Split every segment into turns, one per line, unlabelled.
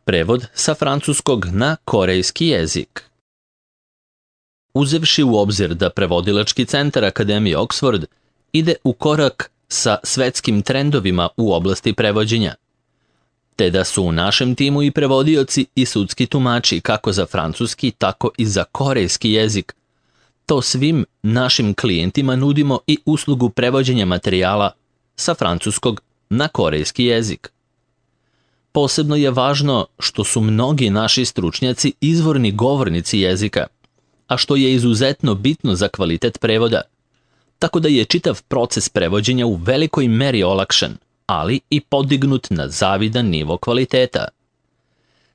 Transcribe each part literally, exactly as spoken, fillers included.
Prevod sa francuskog na korejski jezik. Uzevši u obzir da prevodilački centar Akademije Oxford ide u korak sa svetskim trendovima u oblasti prevođenja, te da su u našem timu i prevodioci i sudski tumači kako za francuski, tako i za korejski jezik, to svim našim klijentima nudimo i uslugu prevođenja materijala sa francuskog na korejski jezik. Posebno je važno što su mnogi naši stručnjaci izvorni govornici jezika, a što je izuzetno bitno za kvalitet prevoda, tako da je čitav proces prevođenja u velikoj meri olakšan, ali i podignut na zavidan nivo kvaliteta.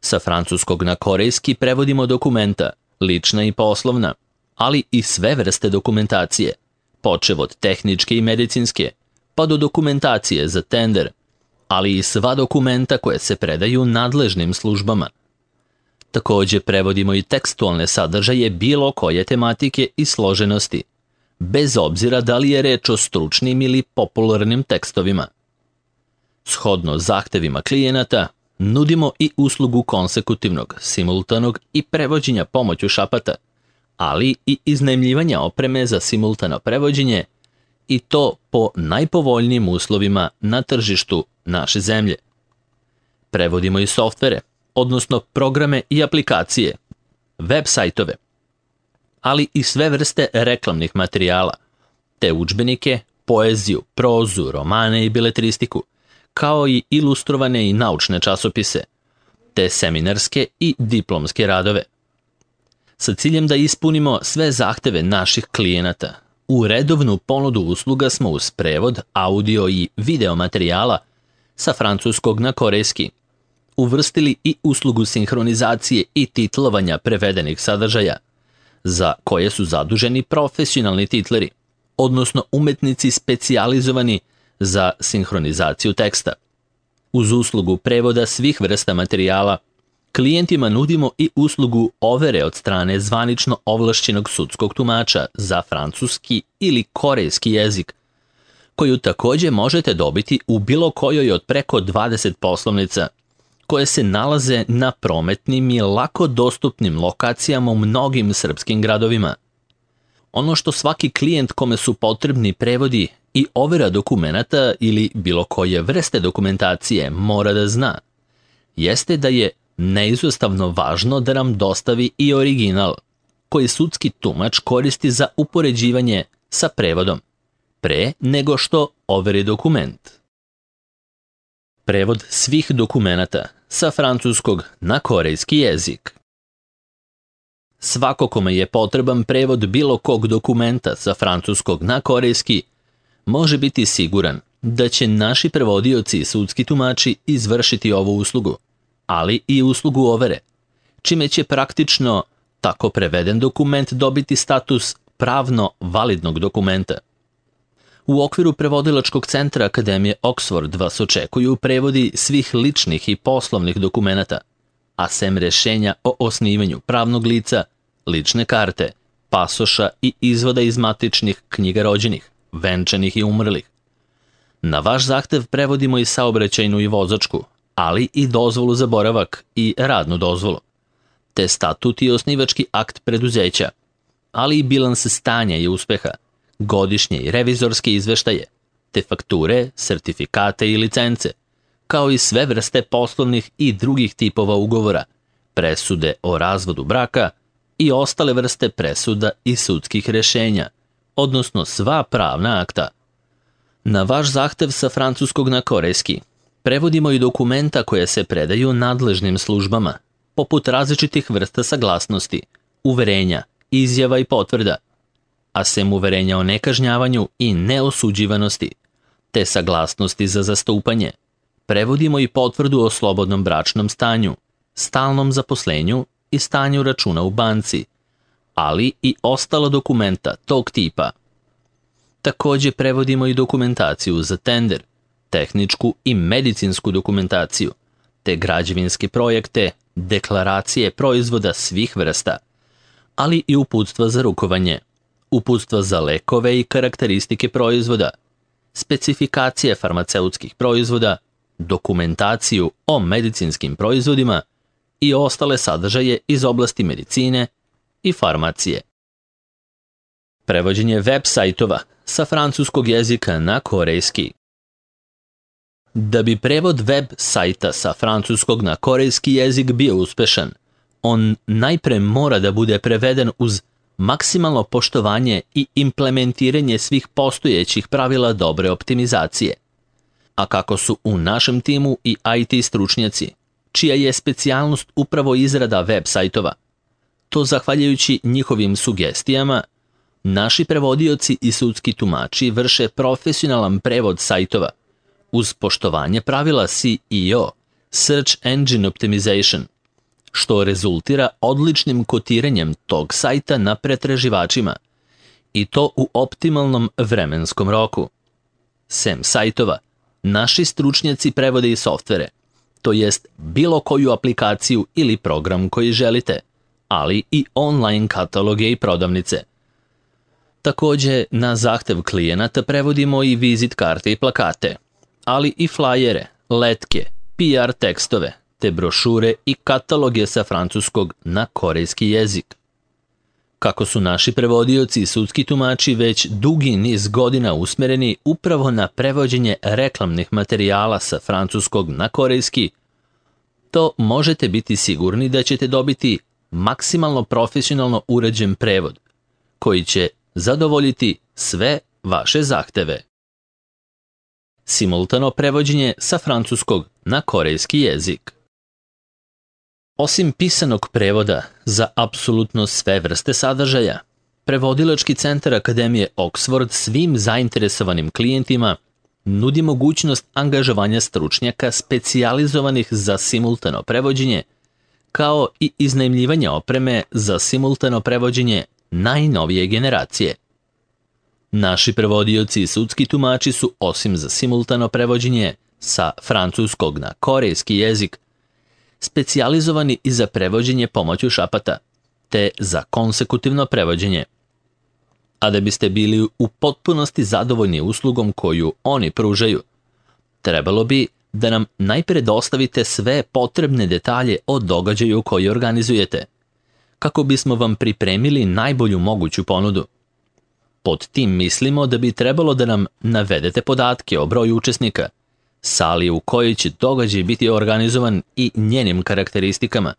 Sa francuskog na korejski prevodimo dokumenta, lična i poslovna, ali i sve vrste dokumentacije, počev od tehničke i medicinske, pa do dokumentacije za tender, ali i sva dokumenta koje se predaju nadležnim službama. Također prevodimo i tekstualne sadržaje bilo koje tematike i složenosti, bez obzira da li je reč o stručnim ili popularnim tekstovima. Shodno zahtevima klijenata, nudimo i uslugu konsekutivnog, simultanog i prevođenja pomoću šapata, ali i iznajmljivanja opreme za simultano prevođenje, i to po najpovoljnijim uslovima na tržištu naše zemlje. Prevodimo i softvere, odnosno programe i aplikacije, web sajtove, ali i sve vrste reklamnih materijala, te udžbenike, poeziju, prozu, romane i beletristiku, kao i ilustrovane i naučne časopise, te seminarske i diplomske radove. Sa ciljem da ispunimo sve zahteve naših klijenata, u redovnu ponudu usluga smo uz prevod, audio i video materijala sa francuskog na korejski uvrstili i uslugu sinhronizacije i titlovanja prevedenih sadržaja, za koje su zaduženi profesionalni titleri, odnosno umetnici specijalizovani za sinhronizaciju teksta. Uz uslugu prevoda svih vrsta materijala, klijentima nudimo i uslugu overe od strane zvanično ovlašćenog sudskog tumača za francuski ili korejski jezik, koju također možete dobiti u bilo kojoj od preko dvadeset poslovnica, koje se nalaze na prometnim i lako dostupnim lokacijama u mnogim srpskim gradovima. Ono što svaki klijent kome su potrebni prevodi i overa dokumenata ili bilo koje vrste dokumentacije mora da zna, jeste da je neizostavno važno da nam dostavi i original, koji sudski tumač koristi za upoređivanje sa prevodom, pre nego što overi dokument. Prevod svih dokumenata sa francuskog na korejski jezik. Svako kome je potreban prevod bilo kog dokumenta sa francuskog na korejski može biti siguran da će naši prevodioci i sudski tumači izvršiti ovu uslugu, ali i uslugu overe, čime će praktično tako preveden dokument dobiti status pravno validnog dokumenta. U okviru prevodilačkog centra Akademije Oxford vas očekuju prevodi svih ličnih i poslovnih dokumenata, a sem rešenja o osnivanju pravnog lica, lične karte, pasoša i izvoda iz matičnih knjiga rođenih, venčanih i umrlih. Na vaš zahtev prevodimo i saobraćajnu i vozačku, ali i dozvolu za boravak i radnu dozvolu, te statut i osnivački akt preduzeća, ali i bilanse stanja i uspeha, godišnje i revizorske izveštaje, te fakture, sertifikate i licence, kao i sve vrste poslovnih i drugih tipova ugovora, presude o razvodu braka i ostale vrste presuda i sudskih rešenja, odnosno sva pravna akta. Na vaš zahtev sa francuskog na korejski prevodimo i dokumenta koje se predaju nadležnim službama, poput različitih vrsta saglasnosti, uverenja, izjava i potvrda, a sem uverenja o nekažnjavanju i neosuđivanosti, te saglasnosti za zastupanje, prevodimo i potvrdu o slobodnom bračnom stanju, stalnom zaposlenju i stanju računa u banci, ali i ostala dokumenta tog tipa. Također prevodimo i dokumentaciju za tender, tehničku i medicinsku dokumentaciju, te građevinske projekte, deklaracije proizvoda svih vrsta, ali i uputstva za rukovanje, uputstva za lekove i karakteristike proizvoda, specifikacije farmaceutskih proizvoda, dokumentaciju o medicinskim proizvodima i ostale sadržaje iz oblasti medicine i farmacije. Prevođenje web sajtova sa francuskog jezika na korejski. Da bi prevod web sajta sa francuskog na korejski jezik bio uspešan, on najpre mora da bude preveden uz maksimalno poštovanje i implementiranje svih postojećih pravila dobre optimizacije. A kako su u našem timu i I T stručnjaci, čija je specijalnost upravo izrada web sajtova, to zahvaljujući njihovim sugestijama, naši prevodioci i sudski tumači vrše profesionalan prevod sajtova uz poštovanje pravila S E O, Search Engine Optimization, što rezultira odličnim kotiranjem tog sajta na pretraživačima i to u optimalnom vremenskom roku. Sem sajtova, naši stručnjaci prevode i softvere, to jest bilo koju aplikaciju ili program koji želite, ali i online kataloge i prodavnice. Takođe, na zahtev klijenata prevodimo i vizit karte i plakate, ali i flajere, letke, P R tekstove, te brošure i kataloge sa francuskog na korejski jezik. Kako su naši prevodioci i sudski tumači već dugi niz godina usmereni upravo na prevođenje reklamnih materijala sa francuskog na korejski, to možete biti sigurni da ćete dobiti maksimalno profesionalno uređen prevod, koji će zadovoljiti sve vaše zahteve. Simultano prevođenje sa francuskog na korejski jezik. Osim pisanog prevoda za apsolutno sve vrste sadržaja, Prevodilački centar Akademije Oxford svim zainteresovanim klijentima nudi mogućnost angažovanja stručnjaka specijalizovanih za simultano prevođenje, kao i iznajmljivanje opreme za simultano prevođenje najnovije generacije. Naši prevodioci i sudski tumači su, osim za simultano prevođenje sa francuskog na korejski jezik, specijalizovani i za prevođenje pomoću šapata, te za konsekutivno prevođenje. A da biste bili u potpunosti zadovoljni uslugom koju oni pružaju, trebalo bi da nam najpre dostavite sve potrebne detalje o događaju koji organizujete, kako bismo vam pripremili najbolju moguću ponudu. Pod tim mislimo da bi trebalo da nam navedete podatke o broju učesnika, sali u kojoj će događaj biti organizovan i njenim karakteristikama,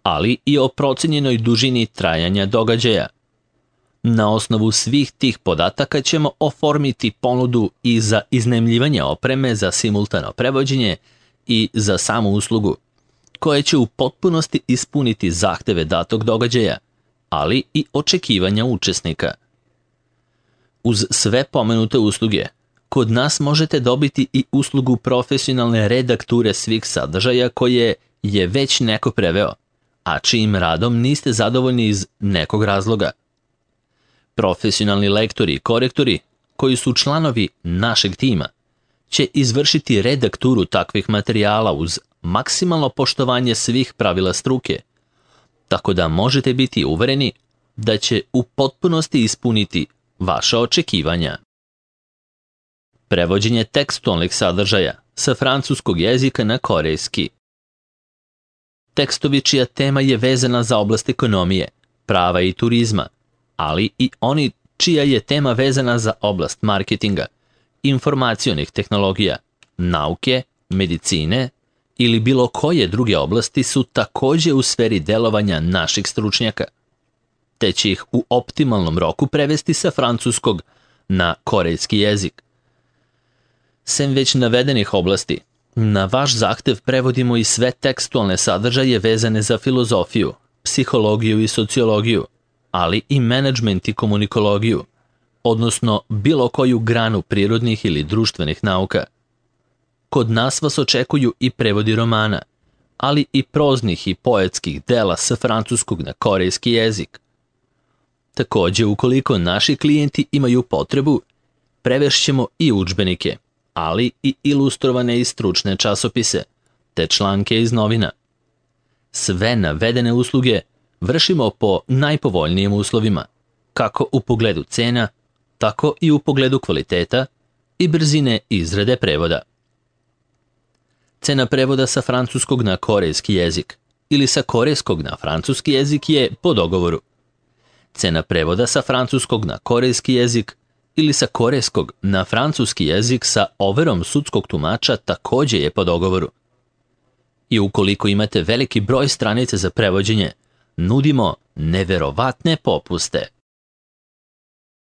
ali i o procenjenoj dužini trajanja događaja. Na osnovu svih tih podataka ćemo oformiti ponudu i za iznajmljivanje opreme za simultano prevođenje i za samu uslugu, koja će u potpunosti ispuniti zahteve datog događaja, ali i očekivanja učesnika. Uz sve pomenute usluge, kod nas možete dobiti i uslugu profesionalne redakture svih sadržaja koje je već neko preveo, a čijim radom niste zadovoljni iz nekog razloga. Profesionalni lektori i korektori, koji su članovi našeg tima, će izvršiti redakturu takvih materijala uz maksimalno poštovanje svih pravila struke, tako da možete biti uvereni da će u potpunosti ispuniti vaša očekivanja. Prevođenje tekstualnih sadržaja sa francuskog jezika na korejski. Tekstovi čija tema je vezana za oblast ekonomije, prava i turizma, ali i oni čija je tema vezana za oblast marketinga, informacionih tehnologija, nauke, medicine ili bilo koje druge oblasti su takođe u sferi delovanja naših stručnjaka, te će ih u optimalnom roku prevesti sa francuskog na korejski jezik. Sem već navedenih oblasti, na vaš zahtev prevodimo i sve tekstualne sadržaje vezane za filozofiju, psihologiju i sociologiju, ali i menadžment i komunikologiju, odnosno bilo koju granu prirodnih ili društvenih nauka. Kod nas vas očekuju i prevodi romana, ali i proznih i poetskih dela sa francuskog na korejski jezik. Takođe, ukoliko naši klijenti imaju potrebu, prevešćemo i udžbenike, ali i ilustrovane i stručne časopise, te članke iz novina. Sve navedene usluge vršimo po najpovoljnijim uslovima, kako u pogledu cena, tako i u pogledu kvaliteta i brzine izrade prevoda. Cena prevoda sa francuskog na korejski jezik ili sa korejskog na francuski jezik je po dogovoru. Cena prevoda sa francuskog na korejski jezik ili sa korejskog na francuski jezik sa overom sudskog tumača također je po dogovoru. I ukoliko imate veliki broj stranica za prevođenje, nudimo neverovatne popuste.